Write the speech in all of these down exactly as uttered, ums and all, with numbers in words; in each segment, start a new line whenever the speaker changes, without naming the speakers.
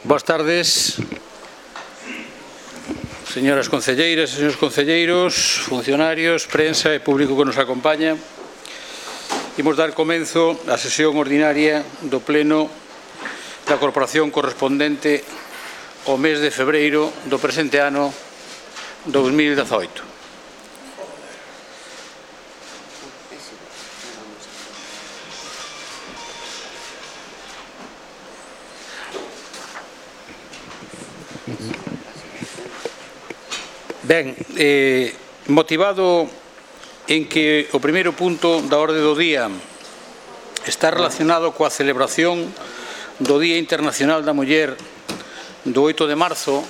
Boas tardes, señoras concelleiras e señores concelleiros, funcionarios, prensa e público que nos acompaña. Imos dar comenzo á sesión ordinaria do Pleno da Corporación correspondente ao mes de febreiro do presente ano dous mil dezaoito. Ben, eh, motivado en que o primeiro punto da orde do día está relacionado coa celebración do Día Internacional da Muller do oito de marzo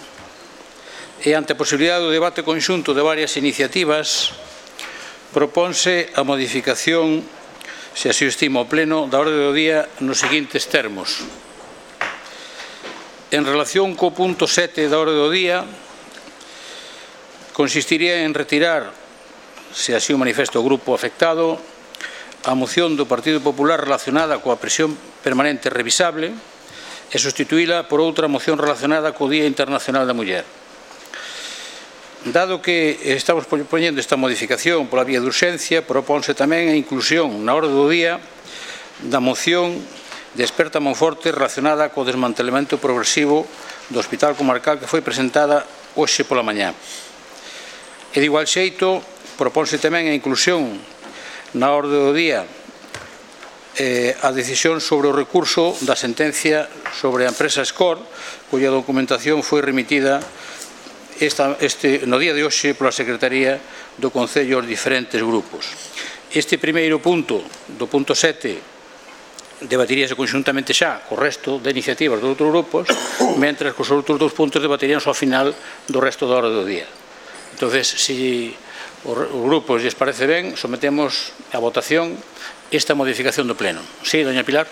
e ante a posibilidade do debate conxunto de varias iniciativas, proponse a modificación, se así o estima o Pleno, da orde do día nos seguintes termos. En relación co punto sete da orde do día, consistiría en retirar, se así o manifesta o grupo afectado, a moción do Partido Popular relacionada coa prisión permanente revisable e sustituíla por outra moción relacionada co Día Internacional da Muller. Dado que estamos poñendo esta modificación pola vía de urxencia, propónse tamén a inclusión na orde do día da moción de Experta Monforte relacionada co desmantelamento progresivo do Hospital Comarcal que foi presentada hoxe pola mañá. E de igual xeito, propónse tamén a inclusión na orde do día eh, a decisión sobre o recurso da sentencia sobre a empresa Escor, cuya documentación foi remitida esta, este, no día de hoxe pola Secretaría do Concello aos diferentes grupos. Este primeiro punto, do punto sete, debatiríase conxuntamente xa co resto de iniciativas dos outros grupos, mentre que os outros dous puntos debatiríanse ao final do resto da orde do día. Entonces, se os grupos lles parece ben, sometemos a votación esta modificación do Pleno. Sí, doña Pilar.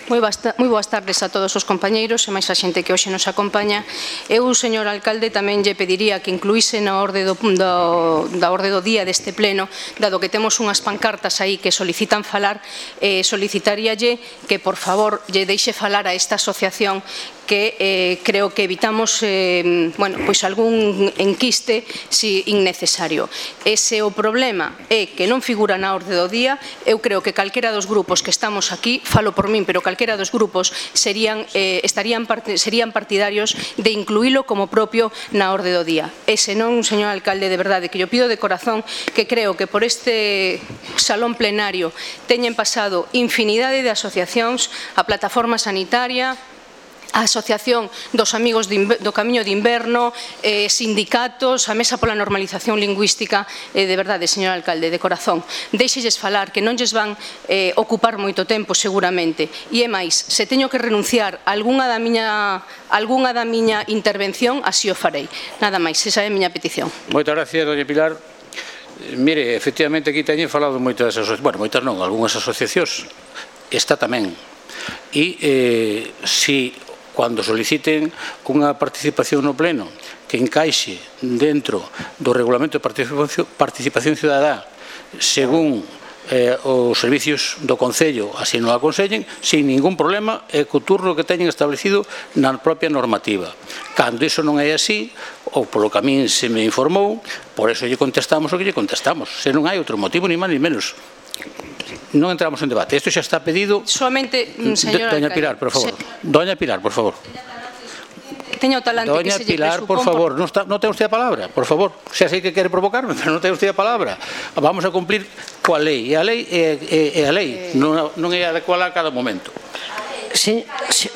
Moi boas tardes a todos os compañeiros e máis a xente que hoxe nos acompaña. Eu, señor alcalde, tamén lle pediría que incluíse na orde do, do, da orde do día deste pleno, dado que temos unhas pancartas aí que solicitan falar, eh, solicitaríalle que, por favor, lle deixe falar a esta asociación que eh, creo que evitamos eh, bueno, pois algún enquiste si innecesario. Ese o problema é que non figura na orde do día. Eu creo que calquera dos grupos que estamos aquí, falo por min, pero calquera dos grupos serían, eh, estarían part serían partidarios de incluílo como propio na orde do día. E senón, señor alcalde, de verdade, que yo pido de corazón que creo que por este salón plenario teñen pasado infinidade de asociacións, a Plataforma Sanitaria, a Asociación dos Amigos do Camiño de Inverno, eh, sindicatos, a Mesa pola Normalización Lingüística, eh, de verdade, señor alcalde, de corazón, deixelles falar, que non lles van eh, ocupar moito tempo seguramente, e é máis, se teño que renunciar a algunha da miña, algunha da miña intervención, así o farei. Nada máis, esa é a miña petición.
Moitas gracias, doña Pilar. Mire, efectivamente aquí teñen falado moitas asociacións, bueno, moitas non, algunhas asociacións, esta tamén, e eh, si cando soliciten unha participación no Pleno que encaixe dentro do Regulamento de Participación, participación Ciudadá según eh, os servicios do Concello así non aconsellen, sin ningún problema e co turno que teñen establecido na propia normativa. Cando iso non é así, ou polo que a min se me informou, por eso lle contestamos o que lle contestamos, se non hai outro motivo ni máis ni menos. Non entramos en debate. Isto xa está pedido.
Solamente, señora
Doña Pilar, por favor. Doña Pilar, por favor.
Teño talante
Doña
que se lle
Pilar, por favor, non, está, non ten usted a palabra, por favor. Xa sei que quere provocarme, pero non ten usted a palabra. Vamos a cumplir coa lei. E a lei é, é, é a lei, non, non é adecuada a cada momento.
Sí, sí.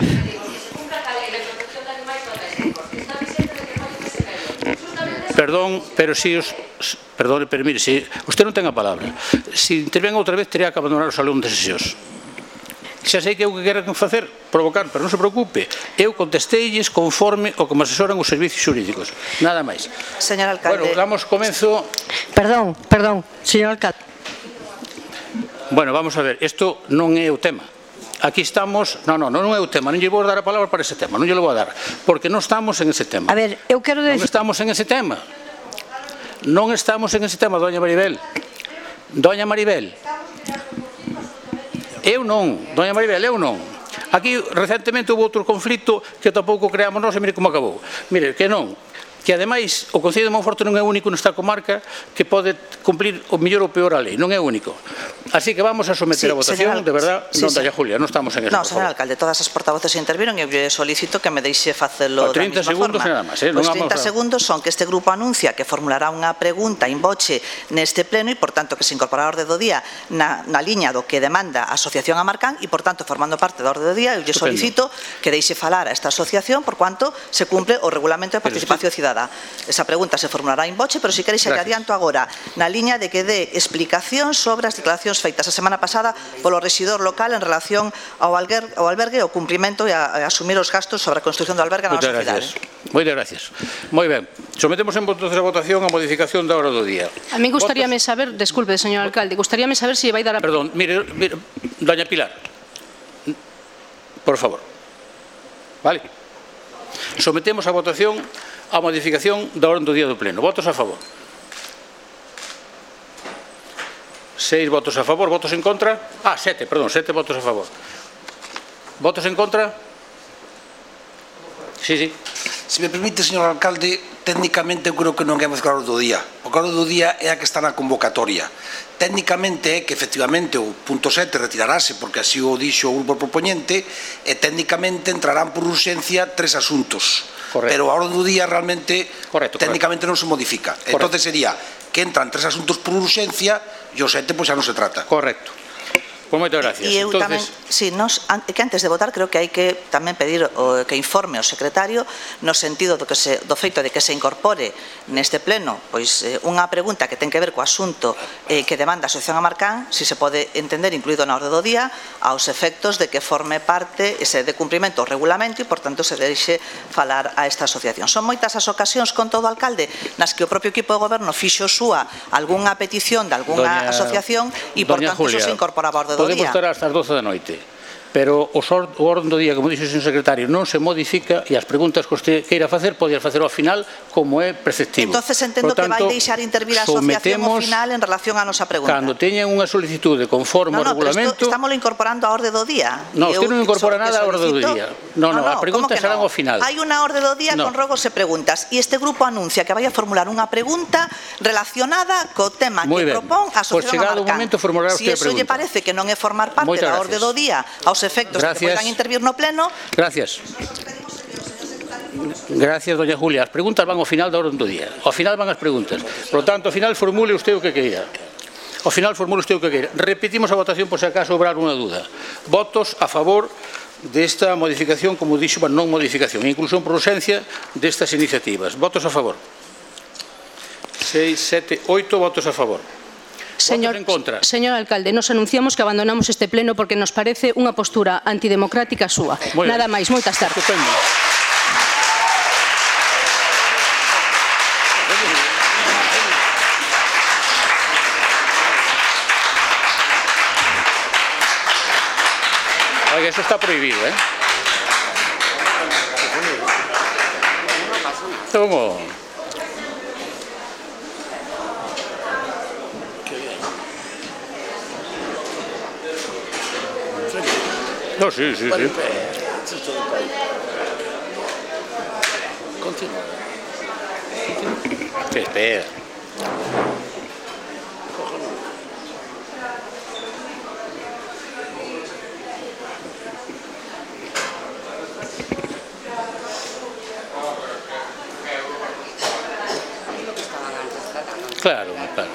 Perdón, pero si os... Perdón, pero mire, si usted non ten a palabra, se intervenga outra vez, teria que abandonar o salón de sesións. Xa sei que é o que queren facer, provocar, pero non se preocupe. Eu contesteilles conforme o que me asesoran os servicios xurídicos. Nada máis.
Señor alcalde.
Bueno, damos comenzo...
Perdón, perdón, señor alcalde.
Bueno, vamos a ver, isto non é o tema. Aquí estamos, non, non, non é o tema, non lle vou dar a palabra para ese tema, non lle vou dar, porque non estamos en ese tema.
A ver, eu quero decir...
Non estamos en ese tema. Non estamos en ese tema, doña Maribel. Doña Maribel. Eu non, doña Maribel, eu non. Aquí recentemente houve outro conflito que tampouco creamos nós e mire como acabou. Mire, que non, que ademais o Concello de Monforte non é único nesta comarca que pode cumplir o mellor ou peor a lei, non é único. Así que vamos a someter a votación, de verdad, non dalla Julia, non estamos en eso.
Non, señor alcalde, todas as portavoces interviron e eu solicito que me deixe facelo da mesma forma. Os trinta segundos son que este grupo anuncia que formulará unha pregunta in voce neste pleno e, por tanto, que se incorporará a orde do día na liña do que demanda a Asociación Amarcán e, por tanto, formando parte da orde do día, eu lle solicito que deixe falar a esta asociación por cuanto se cumple o regulamento de participación cidadana. Esa pregunta se formulará in voce, pero se queréis lle adianto agora na liña de que dé explicación sobre as declaracións feitas a semana pasada polo rexidor local en relación ao albergue, ao cumprimento e a asumir os gastos sobre a construción do albergue na nosa cidade.
Moitas gracias. Moi ben. Sometemos en votación a modificación da hora do día.
A mí gustaríame saber, desculpe, señor alcalde, gustaríame saber se vai dar a...
Perdón, mire, doña Pilar, por favor. Vale. Sometemos a votación a modificación da orde do día do pleno. Votos a favor. Seis votos a favor. Votos en contra? Ah, sete, perdón, sete votos a favor. Votos en contra? Sí, sí.
Se me permite, señor alcalde, técnicamente eu creo que non é máis claro do día. O claro do día é a que está na convocatoria. Técnicamente é que efectivamente o punto sete retirarase porque así o dixo o grupo propoñente e técnicamente entrarán por urxencia tres asuntos. Correcto. Pero a hora do día realmente correcto, técnicamente correcto. Non se modifica. Correcto. Entonces sería que entran tres asuntos por urxencia e o sete pois xa non se trata.
Correcto. Pois moitas gracias.
E eu tamén, si, nos, que antes de votar creo que hai que tamén pedir o, que informe o secretario no sentido do, que se, do feito de que se incorpore neste pleno pois eh, unha pregunta que ten que ver co asunto eh, que demanda a Asociación Amarcán, si se pode entender incluído na orde do día, aos efectos de que forme parte ese de cumprimento ao regulamento e, por tanto, se deixe falar a esta asociación. Son moitas as ocasións con todo o alcalde nas que o propio equipo de goberno fixo súa algunha petición de algunha asociación e, por tanto, iso se incorporaba a orde do día.
Podemos estar hasta as doce da noite, pero o orden do día, como dixo o señor secretario, non se modifica e as preguntas que usted queira facer, podía facer ao final como é preceptivo.
Entonces entendo que vai deixar intervir a asociación ao final en relación á nosa pregunta.
Cando teñan unha solicitude conforme ao regulamento...
Estámoslo incorporando á orde do día.
Non, usted non incorpora nada á orde do día. Non, non, as preguntas serán ao final.
Hai unha orde do día con rogos e preguntas e este grupo anuncia que vai a formular unha pregunta relacionada co tema que propón a Asociación Amarcán. Se iso lle parece que non é formar parte da orde do día aos efectos de que poidan intervir no pleno.
Gracias. Gracias, doña Julia. As preguntas van ao final da orde do día. Ao final van as preguntas. Por lo tanto, ao final formule usted o que queira. Ao final formule usted o que queira. Repetimos a votación por se acaso houber alguna duda. Votos a favor desta modificación, como dixo, non modificación, inclusión por urxencia destas iniciativas. Votos a favor. Seis, sete, oito votos a favor.
Señor, señor alcalde, nos anunciamos que abandonamos este pleno porque nos parece unha postura antidemocrática súa. Nada máis, moitas tardes.
Estupendo. Oiga, eso está prohibido, ¿eh? ¿Cómo? No, sí, sí, sí. Continúa. ¿Qué espera? Claro, claro.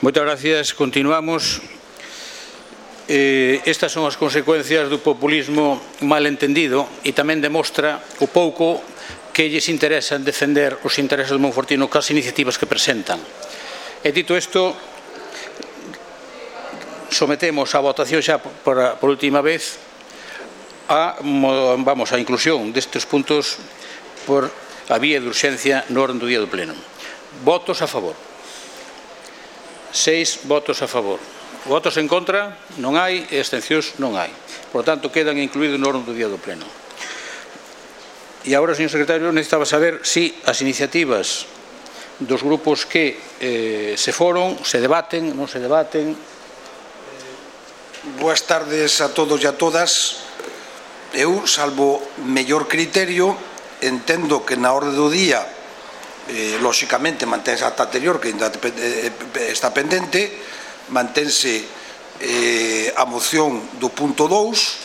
Moitas gracias. Continuamos. Eh, estas son as consecuencias do populismo mal entendido e tamén demostra o pouco que lles interesa defender os intereses do monfortino cas iniciativas que presentan. E dito isto, sometemos a votación xa por, por última vez a, vamos, a inclusión destes puntos por a vía de urxencia no orden do día do pleno. Votos a favor. Seis votos a favor. Votos en contra non hai e abstencións non hai. Por lo tanto, quedan incluídos no orden do día do pleno. E agora, señor secretario, necesitaba saber se as iniciativas dos grupos que eh, se foron, se debaten, non se debaten.
Boas tardes a todos e a todas. Eu, salvo mellor criterio, entendo que na orde do día, eh, lóxicamente, manténse ata anterior, que ainda está pendente, mantense eh, a moción do punto dous,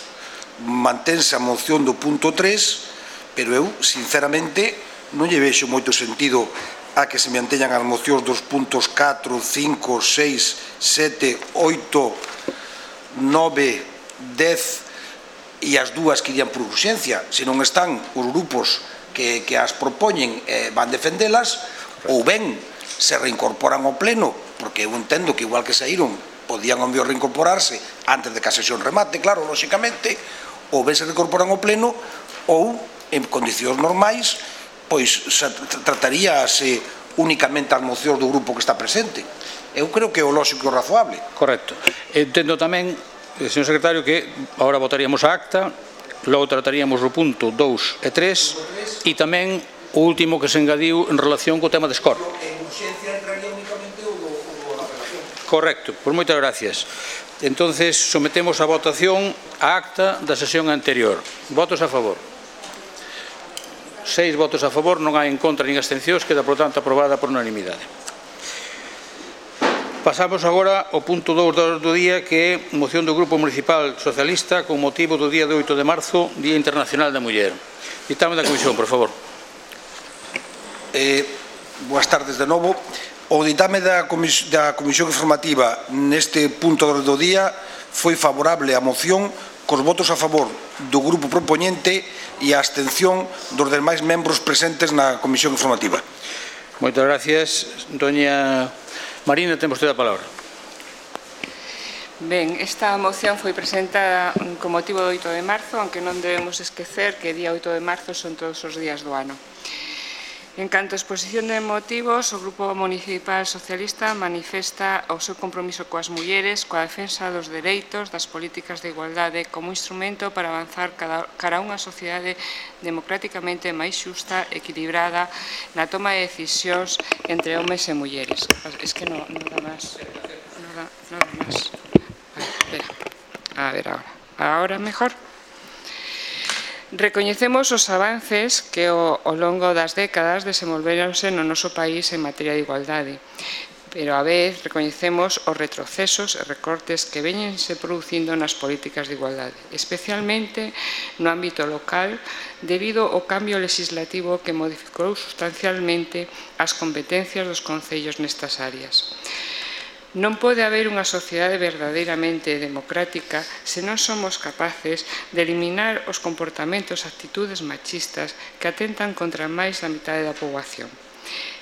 mantense a moción do punto tres, pero eu, sinceramente, non lle vexo moito sentido a que se manteñan as mocións dos puntos catro, cinco, seis, sete, oito, nove, dez e as dúas que irían por urxencia. Se non están os grupos que, que as propoñen eh, van defendelas, ou ben se reincorporan ao pleno, porque eu entendo que igual que saíron podían ao mellor reincorporarse antes de que a sesión remate, claro, lóxicamente, ou ben se reincorporan ao pleno, ou en condicións normais, pois se trataríase únicamente as mocións do grupo que está presente. Eu creo que é o lóxico e o razoable.
Correcto. Entendo tamén, señor secretario, que agora votaríamos a acta, logo trataríamos o punto dous e tres e tamén o último que se engadiu en relación co tema de Escor. Correcto, pois moitas gracias. Entonces, sometemos a votación a acta da sesión anterior. Votos a favor. Seis votos a favor, non hai en contra nin abstencións, queda, por tanto, aprobada por unanimidade. Pasamos agora ao punto dous do día, que é moción do Grupo Municipal Socialista con motivo do día de oito de marzo, Día Internacional da Muller. Ditame da Comisión, por favor.
Eh, boas tardes de novo. O ditame da Comisión Informativa neste punto do día foi favorable á moción cos votos a favor do grupo propoñente e a abstención dos demais membros presentes na Comisión Informativa.
Moitas gracias. Doña Marina, ten vostede a palabra.
Ben, esta moción foi presentada con motivo do oito de marzo, aunque non debemos esquecer que día oito de marzo son todos os días do ano. En canto a exposición de motivos, o Grupo Municipal Socialista manifesta o seu compromiso coas mulleres, coa defensa dos dereitos, das políticas de igualdade, como instrumento para avanzar cara a unha sociedade democráticamente máis xusta, equilibrada, na toma de decisións entre homes e mulleres. Es que non dá máis. Non dá máis. A ver, espera. A ver, agora. Agora mellor. Recoñecemos os avances que ao longo das décadas desenvolveronse no noso país en materia de igualdade, pero a vez recoñecemos os retrocesos e recortes que veñense producindo nas políticas de igualdade, especialmente no ámbito local, debido ao cambio legislativo que modificou sustancialmente as competencias dos concellos nestas áreas. Non pode haber unha sociedade verdadeiramente democrática se non somos capaces de eliminar os comportamentos e actitudes machistas que atentan contra máis da mitade da poboación.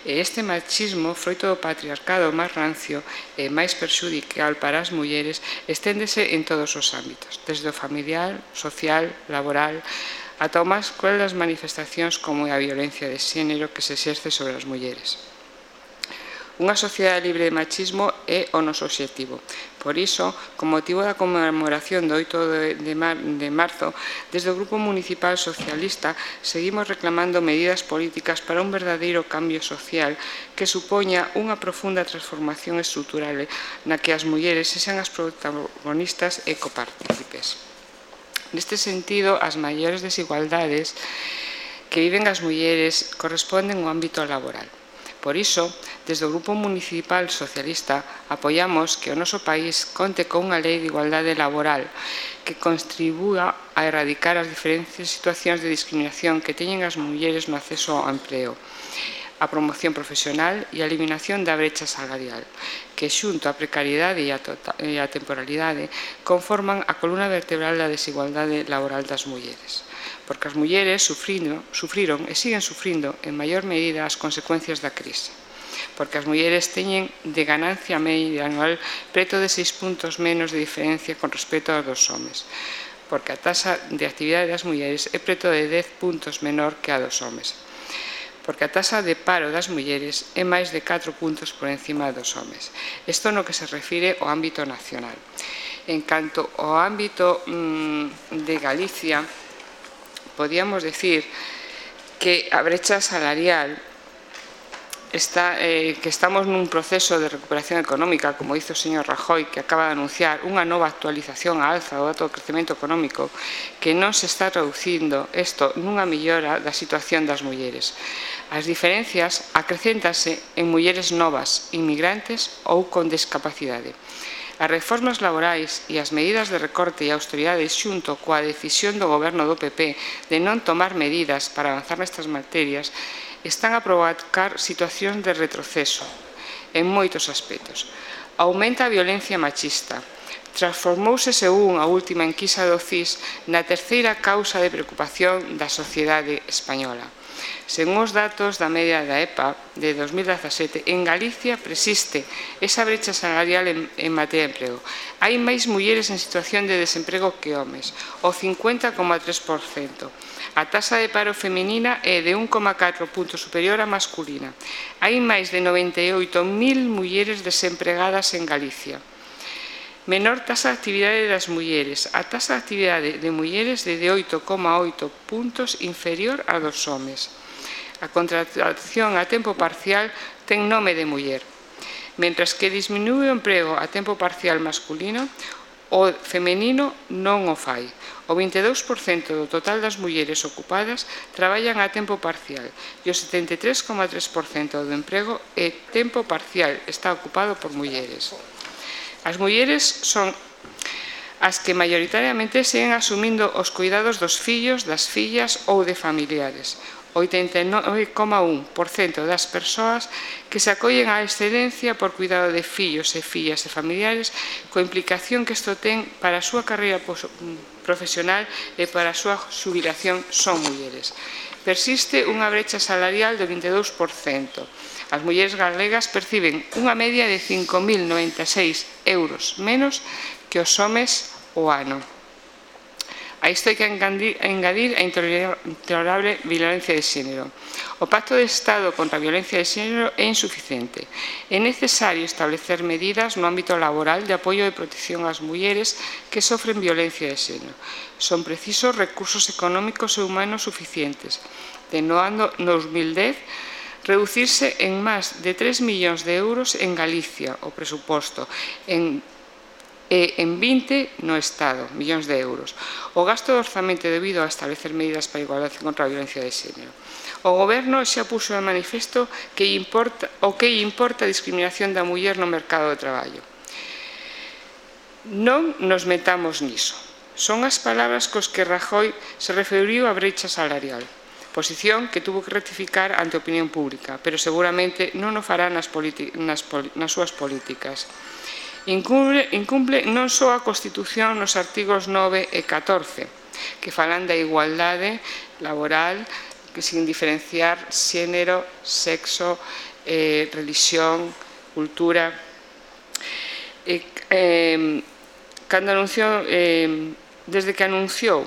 E este machismo, froito do patriarcado máis rancio e máis perxudicial para as mulleres, esténdese en todos os ámbitos, desde o familiar, social, laboral, ata o máis cruel das manifestacións como a violencia de xénero que se exerce sobre as mulleres. Unha sociedade libre de machismo é o noso obxectivo. Por iso, con motivo da conmemoración do oito de marzo, desde o Grupo Municipal Socialista seguimos reclamando medidas políticas para un verdadeiro cambio social que supoña unha profunda transformación estrutural na que as mulleres sexan as protagonistas e copartícipes. Neste sentido, as maiores desigualdades que viven as mulleres corresponden ao ámbito laboral. Por iso, desde o Grupo Municipal Socialista apoiamos que o noso país conte con unha lei de igualdade laboral que contribúa a erradicar as diferentes situacións de discriminación que teñen as mulleres no acceso ao emprego, a promoción profesional e a eliminación da brecha salarial, que xunto á precariedade e á temporalidade conforman a columna vertebral da desigualdade laboral das mulleres. Porque as mulleres sufriron e siguen sufrindo en maior medida as consecuencias da crise. Porque as mulleres teñen de ganancia media anual preto de seis puntos menos de diferencia con respecto aos dos homes. Porque a taxa de actividade das mulleres é preto de dez puntos menor que a dos homes. Porque a taxa de paro das mulleres é máis de catro puntos por encima dos homes. Isto no que se refire ao ámbito nacional. En canto ao ámbito mmm, de Galicia, podíamos decir que a brecha salarial está, eh, que estamos nun proceso de recuperación económica, como dice o señor Rajoy, que acaba de anunciar unha nova actualización á alza do dato de crecemento económico, que non se está traducindo isto nunha mellora da situación das mulleres. As diferencias acrecéntanse en mulleres novas, inmigrantes ou con discapacidade. As reformas laborais e as medidas de recorte e austeridade xunto coa decisión do goberno do P P de non tomar medidas para avanzar nestas materias están a provocar situacións de retroceso en moitos aspectos. Aumenta a violencia machista. Transformouse, según a última enquisa do C I S, na terceira causa de preocupación da sociedade española. Según os datos da media da E P A de dos mil dezasete, en Galicia persiste esa brecha salarial en, en materia de emprego. Hai máis mulleres en situación de desemprego que homes, o cincuenta coma tres por cento. A taxa de paro feminina é de un coma catro puntos superior á masculina. Hai máis de noventa e oito mil mulleres desempregadas en Galicia. Menor taxa de actividade das mulleres. A taxa de actividade de mulleres de oito coma oito puntos inferior a dos homes. A contratación a tempo parcial ten nome de muller. Mentras que disminúe o emprego a tempo parcial masculino, o femenino non o fai. O vinte e dous por cento do total das mulleres ocupadas traballan a tempo parcial e o setenta e tres coma tres por cento do emprego é tempo parcial, está ocupado por mulleres. As mulleres son as que maioritariamente seguen asumindo os cuidados dos fillos, das fillas ou de familiares. oitenta e nove coma un por cento das persoas que se acollen á excedencia por cuidado de fillos e fillas e familiares, coa implicación que isto ten para a súa carreira profesional e para a súa xubilación son mulleres. Persiste unha brecha salarial do vinte e dous por cento. As mulleres galegas perciben unha media de cinco mil noventa e seis euros menos que os homes o ano. A isto hai que engadir a intolerable violencia de xénero. O Pacto de Estado contra a violencia de xénero é insuficiente. É necesario establecer medidas no ámbito laboral de apoio e protección ás mulleres que sofren violencia de xénero. Son precisos recursos económicos e humanos suficientes. De no ano dos mil dez, reducirse en máis de tres millóns de euros en Galicia o presuposto, en e en vinte no Estado, millóns de euros. O gasto de orzamento debido a establecer medidas para a igualdade contra a violencia de xénero. O Goberno xa puxo de manifesto que importa, o que importa a discriminación da muller no mercado de traballo. Non nos metamos niso. Son as palabras cos que Rajoy se referiu á brecha salarial. Posición que tuvo que rectificar ante a opinión pública, pero seguramente non o fará nas, nas, nas súas políticas. Incumple, incumple non só a Constitución nos artigos nove e catorce, que falan da igualdade laboral, que sin diferenciar xénero, sexo, eh, religión, cultura. Eh, eh, cando anunciou, eh, desde que anunciou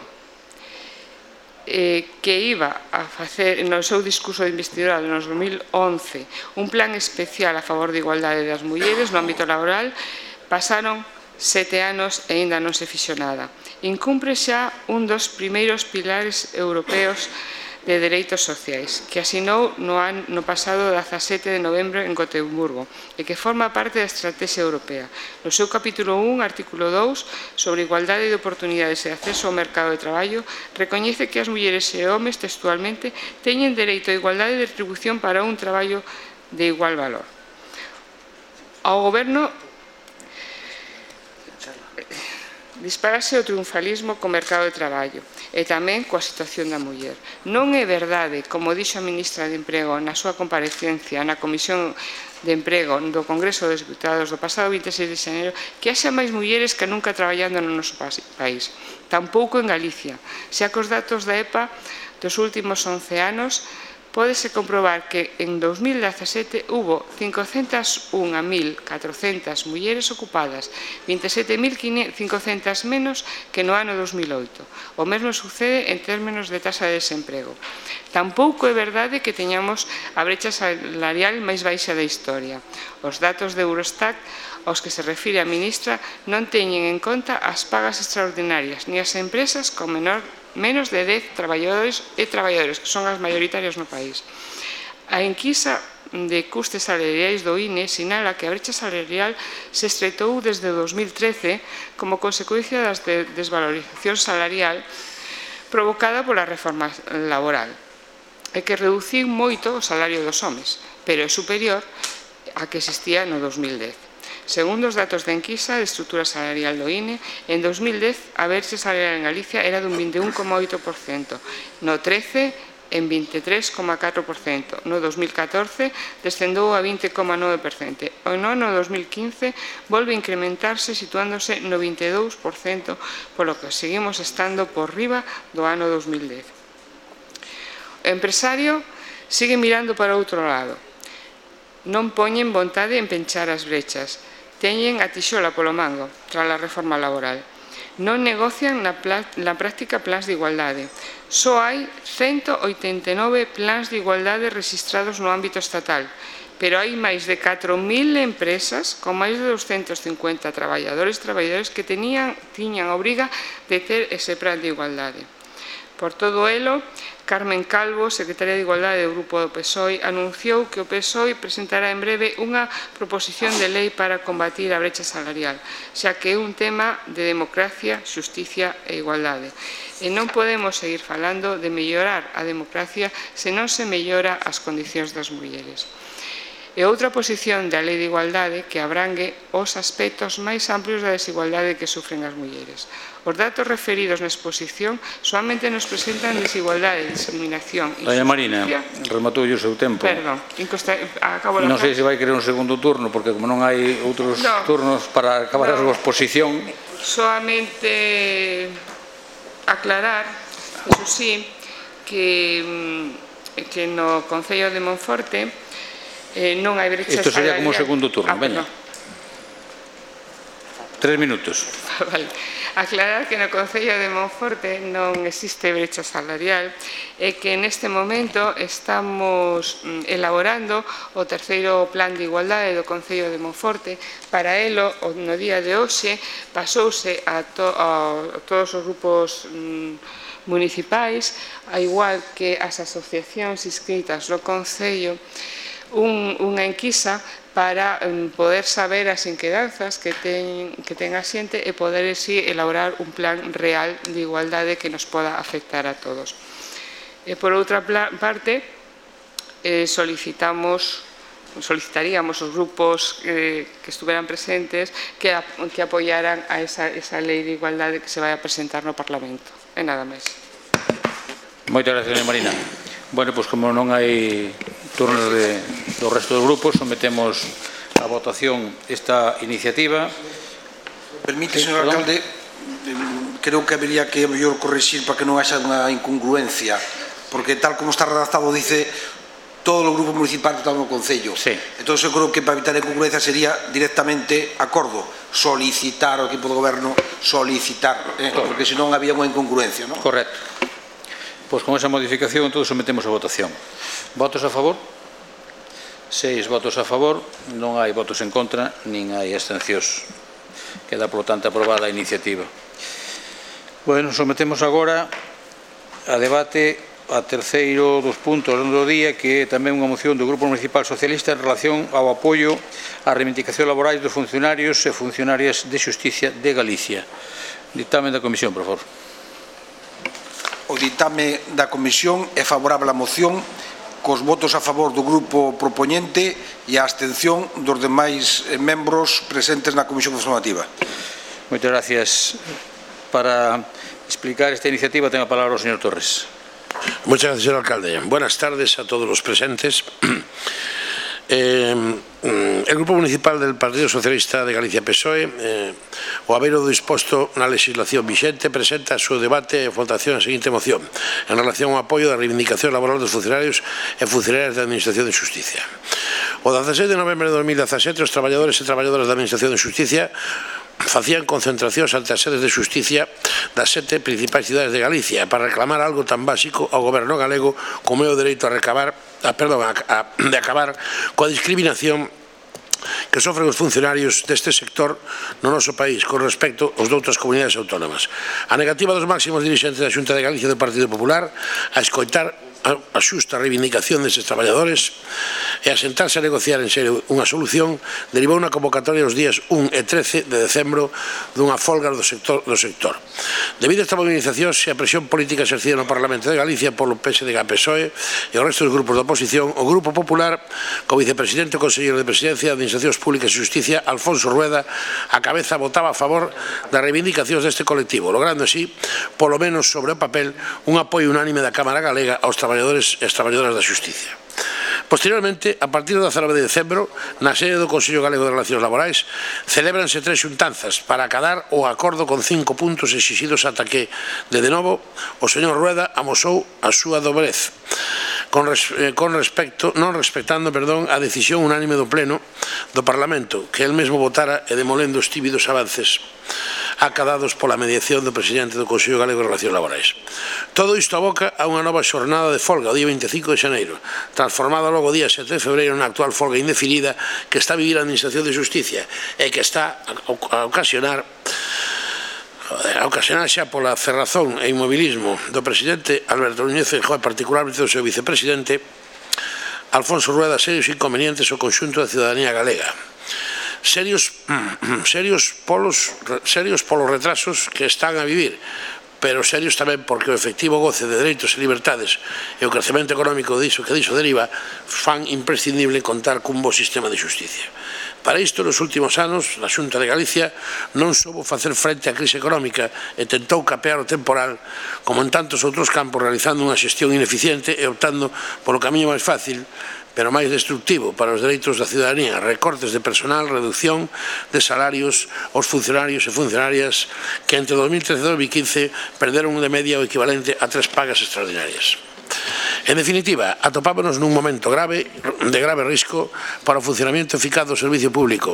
eh, que iba a facer no seu discurso de investidura no dos mil once un plan especial a favor da igualdade das mulleres no ámbito laboral, pasaron sete anos e aínda non se fixo nada. Incumpre xa un dos primeiros pilares europeos de Dereitos Sociais, que asinou no, ano, no pasado dezasete de novembro en Gotemburgo e que forma parte da Estrategia Europea. No seu capítulo un, artículo dous, sobre igualdade de oportunidades e acceso ao mercado de traballo, recoñece que as mulleres e homes textualmente teñen dereito a igualdade de retribución para un traballo de igual valor. Ao Goberno disparase o triunfalismo co mercado de traballo e tamén coa situación da muller. Non é verdade, como dixo a ministra de Emprego na súa comparecencia na Comisión de Emprego do Congreso dos Deputados do pasado vinte e seis de xaneiro, que haxa máis mulleres que nunca traballando no noso país. Tampouco en Galicia, xa que os datos da E P A dos últimos once anos pódese comprobar que en dos mil dezasete hubo cincocentas unha mil catrocentas mulleres ocupadas, vinte e sete mil cincocentas menos que no ano dos mil oito. O mesmo sucede en términos de tasa de desemprego. Tampouco é verdade que teñamos a brecha salarial máis baixa da historia. Os datos de Eurostat aos que se refire a ministra non teñen en conta as pagas extraordinarias ni as empresas con menor menos de dez traballadores e traballadores, que son as maioritarias no país. A enquisa de custes salariais do I N E sinala que a brecha salarial se estreitou desde dos mil trece como consecuencia da desvalorización salarial provocada pola reforma laboral, e que reduciu moito o salario dos homes, pero é superior a que existía no dos mil dez. Segundo os datos da enquisa de estrutura salarial do I N E, en dos mil dez a brecha salarial en Galicia era dun vinte e un coma oito por cento, no trece en vinte e tres coma catro por cento, no dos mil catorce descendou a vinte coma nove por cento, e no ano dos mil quince volve a incrementarse situándose no vinte e dous por cento, polo que seguimos estando por riba do ano dos mil dez. O empresario sigue mirando para outro lado. Non poñen vontade en penchar as brechas. Teñen a tixola polo mango, tras a reforma laboral. Non negocian na, na práctica plans de igualdade. Só hai ciento oitenta e nove plans de igualdade registrados no ámbito estatal, pero hai máis de catro mil empresas con máis de doscientos cincuenta traballadores e traballadores que tenían, tiñan a obriga de ter ese plan de igualdade. Por todo elo, Carmen Calvo, secretaria de Igualdade do Grupo do P S O E, anunciou que o P S O E presentará en breve unha proposición de lei para combatir a brecha salarial, xa que é un tema de democracia, xusticia e igualdade. E non podemos seguir falando de mellorar a democracia se non se mellora as condicións das mulleres. E outra posición da Lei de Igualdade que abrangue os aspectos máis amplios da desigualdade que sufren as mulleres. Os datos referidos na exposición solamente nos presentan desigualdade, discriminación e
Doña Marina, rematou o seu tempo.
Perdón, acabo
Non sei se vai querer un segundo turno, porque como non hai outros
no,
turnos para acabar no, a súa exposición.
Solamente aclarar, eso sí, que, que no Concello de Monforte eh, non hai brecha salarial.
Isto sería como o segundo turno,
ah,
veña. Tres minutos.
Vale. Aclarar que no Concello de Monforte non existe brecha salarial e que neste momento estamos elaborando o terceiro plan de igualdade do Concello de Monforte. Para elo, no día de hoxe, pasouse a, to, a todos os grupos mm, municipais, a igual que as asociacións inscritas no Concello, un, unha enquisa para um, poder saber as inquedanzas que ten, que ten a xente e poder así elaborar un plan real de igualdade que nos poda afectar a todos. E por outra parte, eh, solicitamos, solicitaríamos os grupos eh, que estuveran presentes que, a, que apoyaran a esa, esa lei de igualdade que se vai a presentar no Parlamento. E nada máis.
Moitas gracias, doña Marina. Bueno, pois como non hai turnos de, do resto dos grupos, sometemos a votación esta iniciativa.
Permite, señor alcalde, creo que habería que mellor corrixir para que non haxa unha incongruencia, porque tal como está redactado dice todos os grupos municipais que están no Concello.
Sí.
Entón, eu creo que para evitar incongruencia sería directamente acordo, solicitar ao equipo do goberno, solicitar, eh, porque senón había unha incongruencia, non?
Correcto. Pois con esa modificación todos sometemos a votación. Votos a favor? Seis votos a favor, non hai votos en contra, nin hai abstencións. Queda, por lo tanto, aprobada a iniciativa. Bueno, sometemos agora a debate a terceiro dos puntos do día, que é tamén unha moción do Grupo Municipal Socialista en relación ao apoio á reivindicación laboral dos funcionarios e funcionarias de Xusticia de Galicia. Dictamen da Comisión, por favor.
O ditame da Comisión é favorable á moción cos votos a favor do grupo propoñente e a abstención dos demais membros presentes na Comisión Informativa.
Moitas gracias, para explicar esta iniciativa ten a palabra o señor Torres.
Muchas gracias, señor alcalde. Buenas tardes a todos los presentes. Eh, el Grupo Municipal del Partido Socialista de Galicia P S O E, eh, o haber o disposto na legislación vixente, presenta a súa debate e votación a seguinte moción en relación ao apoio da reivindicación laboral dos funcionarios e funcionarias da Administración de Xusticia. O dezasete de novembro de dos mil dezasete, os traballadores e traballadoras da Administración de Xusticia facían concentracións ante as sedes de xusticia das sete principais cidades de Galicia para reclamar algo tan básico ao goberno galego como é o dereito a recabar a, perdón, a, a, de acabar coa discriminación que sofren os funcionarios deste sector no noso país con respecto aos doutras comunidades autónomas. A negativa dos máximos dirixentes da Xunta de Galicia do Partido Popular a escoitar a xusta reivindicación destes traballadores e a sentarse a negociar en serio unha solución derivou unha convocatoria os días un e trece de decembro dunha folga do sector. Do sector. Debido a esta movilización e a presión política exercida no Parlamento de Galicia polo P S D G P S O E e o resto dos grupos da oposición, o Grupo Popular, co vicepresidente e conselleiro de Presidencia de Administracións Públicas e Xusticia, Alfonso Rueda, a cabeza votaba a favor das reivindicacións deste colectivo, logrando así, polo menos sobre o papel, un apoio unánime da Cámara Galega aos traballadores e as traballadoras da Xusticia. Posteriormente, a partir do dezanove de decembro, na sede do Consello Galego de Relacións Laborais, celébranse tres xuntanzas para acadar o acordo con cinco puntos exixidos ata que, de de novo, o señor Rueda amosou a súa dobrez, con, res, eh, con respecto, non respectando, perdón, a decisión unánime do Pleno do Parlamento, que el mesmo votara e demolendo os tímidos avances acadados pola mediación do presidente do Consello Galego de Relacións Laborais. Todo isto aboca a unha nova xornada de folga o día veinticinco de xaneiro, transformada logo o día sete de febreiro na actual folga indefinida que está a vivir a Administración de Xusticia e que está a ocasionar a ocasionar xa pola cerrazón e inmobilismo do presidente Alberto Núñez Feijóo e particularmente do seu vicepresidente Alfonso Rueda serios inconvenientes ao conxunto da ciudadanía galega. Serios, serios, polos, serios polos retrasos que están a vivir, pero serios tamén porque o efectivo goce de dereitos e libertades e o crecemento económico diso que diso deriva fan imprescindible contar cun bo sistema de xusticia. Para isto, nos últimos anos, a Xunta de Galicia non soubo facer frente á crise económica e tentou capear o temporal, como en tantos outros campos, realizando unha xestión ineficiente e optando polo camiño máis fácil, pero máis destructivo para os dereitos da ciudadanía, recortes de personal, reducción de salarios aos funcionarios e funcionarias que entre dos mil trece e dos mil quince perderon de media o equivalente a tres pagas extraordinarias. En definitiva, atopámonos nun momento grave, de grave risco para o funcionamento eficaz do servicio público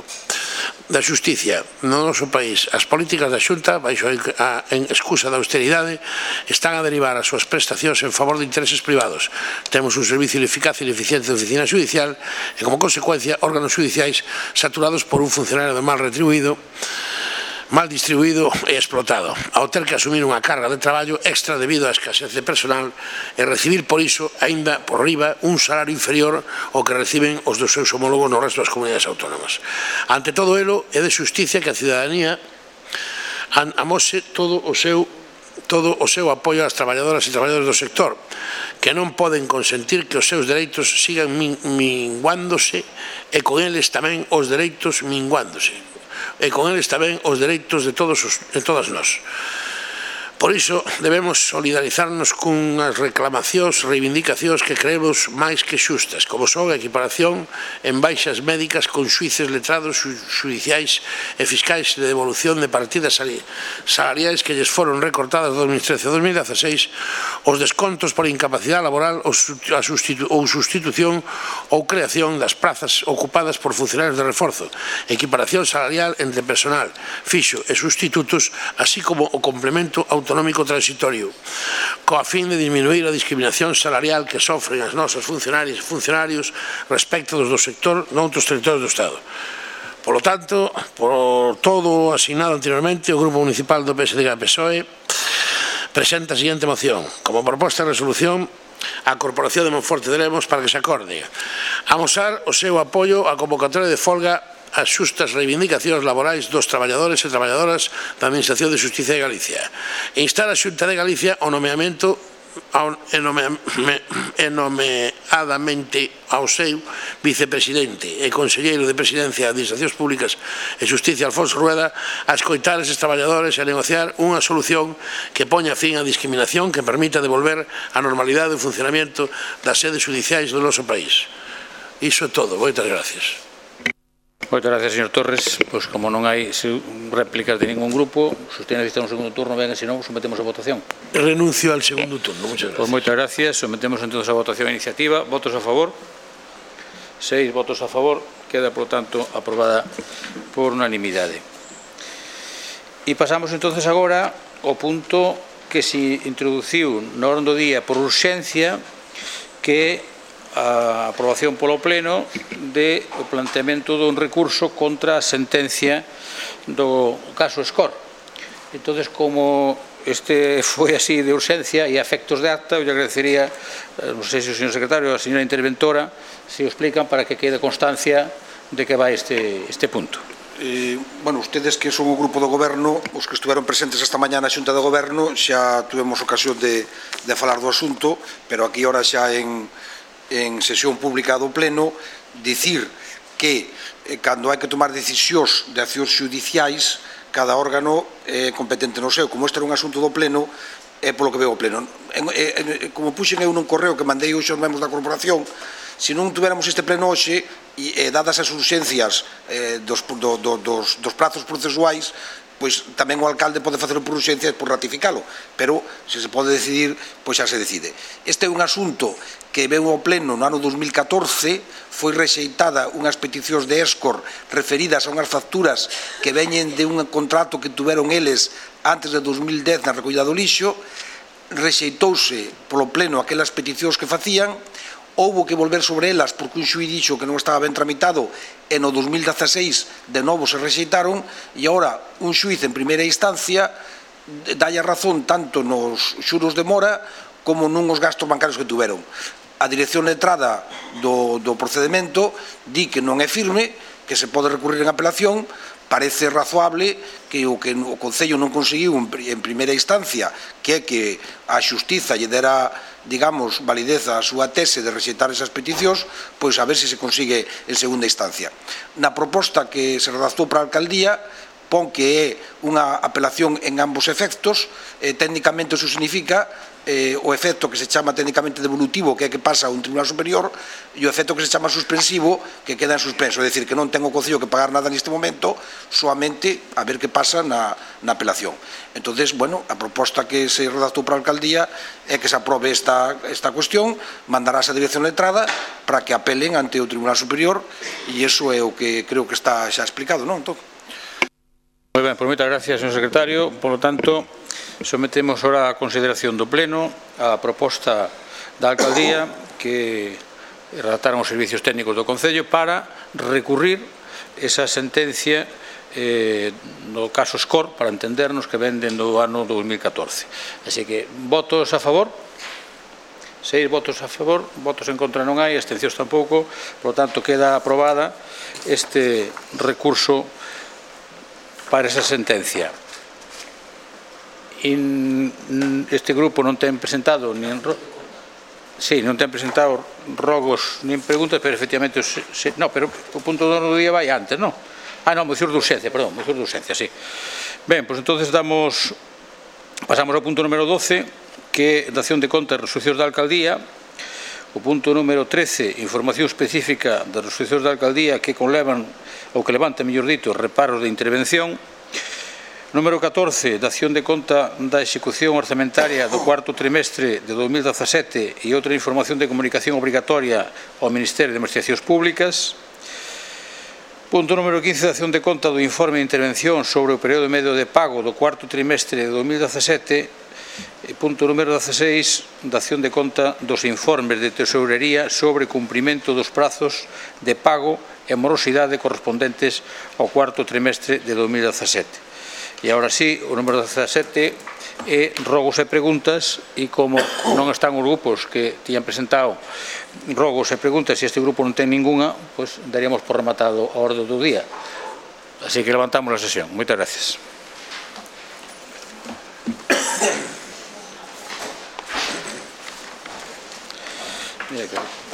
da xusticia no noso país. As políticas da Xunta, baixo a en excusa da austeridade, están a derivar as súas prestacións en favor de intereses privados. Temos un servicio ineficaz e ineficiente de oficina judicial e, como consecuencia, órganos judiciais saturados por un funcionario mal retribuído, mal distribuído e explotado, ao ter que asumir unha carga de traballo extra debido á escasez de personal e recibir por iso, aínda por riba, un salario inferior ao que reciben os dos seus homólogos no resto das comunidades autónomas. Ante todo elo, é de xusticia que a ciudadanía amose todo o seu todo o seu apoio ás traballadoras e traballadores do sector, que non poden consentir que os seus dereitos sigan minguándose e con eles tamén os dereitos minguándose. e con eles tamén os dereitos de todos os, de todas nós. Por iso debemos solidarizarnos cunhas reclamacións, reivindicacións que creemos máis que xustas, como son a equiparación en baixas médicas con xuíces letrados xudiciais e fiscais de devolución de partidas salariais que lles foron recortadas de dos mil trece a dos mil dieciséis, os descontos por incapacidade laboral ou sustitución ou creación das prazas ocupadas por funcionarios de reforzo, equiparación salarial entre personal fixo e sustitutos, así como o complemento autonómico autonómico transitorio, coa fin de disminuir a discriminación salarial que sofren as nosas funcionarias e funcionarios respecto dos do sector noutros territorios do Estado. Por lo tanto, por todo o asignado anteriormente, o Grupo Municipal do P S D G P S O E presenta a seguinte moción. Como proposta de resolución, a Corporación de Monforte de Lemos para que se acorde amosar o seu apoio á convocatoria de folga as xustas reivindicacións laborais dos traballadores e traballadoras da Administración de Xusticia de Galicia e instar a Xunta de Galicia ao nomeamento nomeadamente ao seu vicepresidente e conselleiro de Presidencia de Administracións Públicas e Xusticia, Alfonso Rueda, a escoitar eses traballadores e a negociar unha solución que poña fin á discriminación, que permita devolver a normalidade do funcionamento das sedes judiciais do noso país. Iso é todo. Moitas gracias.
Moitas gracias, señor Torres. Pois como non hai réplicas de ningún grupo, se usted necesita un segundo turno, venga, se non, sometemos a votación.
Renuncio al segundo turno. Muchas gracias.
Pois moitas gracias. Sometemos entonces a votación a iniciativa. Votos a favor. Seis votos a favor. Queda, por lo tanto, aprobada por unanimidade. E pasamos entonces agora ao punto que se introduciu na orde do día por urxencia, que a aprobación polo Pleno de o planteamento dun recurso contra a sentencia do caso Escor. Entón, como este foi así de urxencia e a efectos de acta, eu lle agradecería, non sei se o señor secretario ou a señora interventora se o explican para que quede constancia de que vai este, este punto.
Eh, bueno, ustedes que son o grupo do goberno, os que estuveron presentes esta mañá na Xunta do Goberno, xa tuvemos ocasión de, de falar do asunto, pero aquí ahora xa en en sesión pública do Pleno, dicir que eh, cando hai que tomar decisións de accións judiciais, cada órgano é competente no seu. Como este era un asunto do Pleno, é polo que veo o Pleno. En, en, como puxen eu nun correo que mandei hoxe aos membros da corporación, se non tuviéramos este Pleno hoxe, e eh, dadas as urxencias eh, dos, do, do, dos, dos prazos procesuais, pois tamén o alcalde pode facelo por urxencia e por ratificalo, pero se se pode decidir, pois xa se decide. Este é un asunto que veu ao Pleno no ano dos mil catorce, foi rexeitada unhas peticións de Escor referidas a unhas facturas que veñen de un contrato que tuveron eles antes de dos mil dez na recollida do lixo, rexeitouse polo Pleno aquelas peticións que facían, houbo que volver sobre elas porque un xuíz dixo que non estaba ben tramitado e no dos mil dieciséis de novo se rexeitaron e agora un xuíz en primeira instancia dalle a razón tanto nos xuros de mora como nun os gastos bancarios que tuveron. A dirección letrada do, do procedimento di que non é firme, que se pode recurrir en apelación. Parece razoable que o que o Concello non conseguiu en primeira instancia, que é que a Xustiza lle dera, digamos, validez a súa tese de rexeitar esas peticións, pois a ver se se consigue en segunda instancia. Na proposta que se redactou para a alcaldía, pon que é unha apelación en ambos efectos, eh, técnicamente iso significa eh, o efecto que se chama técnicamente devolutivo, que é que pasa a un tribunal superior, e o efecto que se chama suspensivo, que queda en suspenso, é dicir, que non ten o Concello que pagar nada neste momento, soamente a ver que pasa na, na apelación. Entonces, bueno, a proposta que se redactou para a alcaldía é que se aprobe esta, esta cuestión, mandarás a dirección letrada para que apelen ante o tribunal superior, e iso é o que creo que está xa explicado, non? Entón,
moi ben, por moitas gracias, señor secretario. Por lo tanto, sometemos ahora a consideración do Pleno a proposta da alcaldía que redactaron os servicios técnicos do Concello para recurrir esa sentencia eh, no caso Escor, para entendernos, que venden do ano dos mil catorce. Así que, votos a favor? Seis votos a favor, votos en contra non hai, abstencións tampouco. Por lo tanto, queda aprobada este recurso para esa sentencia. Este grupo non ten presentado nin sí, non ten presentado rogos nin preguntas, pero efectivamente se, no, pero o punto do día vai antes, non? Ah, non, moción de urxencia, perdón, moción de urxencia, sí. Ben, pois entonces damos pasamos ao punto número doce, que é dación de contas e resolucións da alcaldía. O punto número trece, información específica das resolucións da alcaldía que conlevan ou que levanta, mellor dito, reparos de intervención. Número catorce, dación de conta da execución orzamentaria do cuarto trimestre de dos mil dezasete e outra información de comunicación obrigatoria ao Ministerio de Administracións Públicas. Punto número quince, dación de conta do informe de intervención sobre o período medio de pago do cuarto trimestre de dos mil dezasete. Punto número dezaseis, dación de conta dos informes de tesourería sobre cumprimento dos prazos de pago e morosidade correspondentes ao cuarto trimestre de dos mil dezasete. E agora sí, o número dezasete é rogos e preguntas, e como non están os grupos que tiñan presentado rogos e preguntas, e este grupo non ten ninguna, pois daríamos por rematado a orde do día. Así que levantamos a sesión. Moitas gracias. Mira que...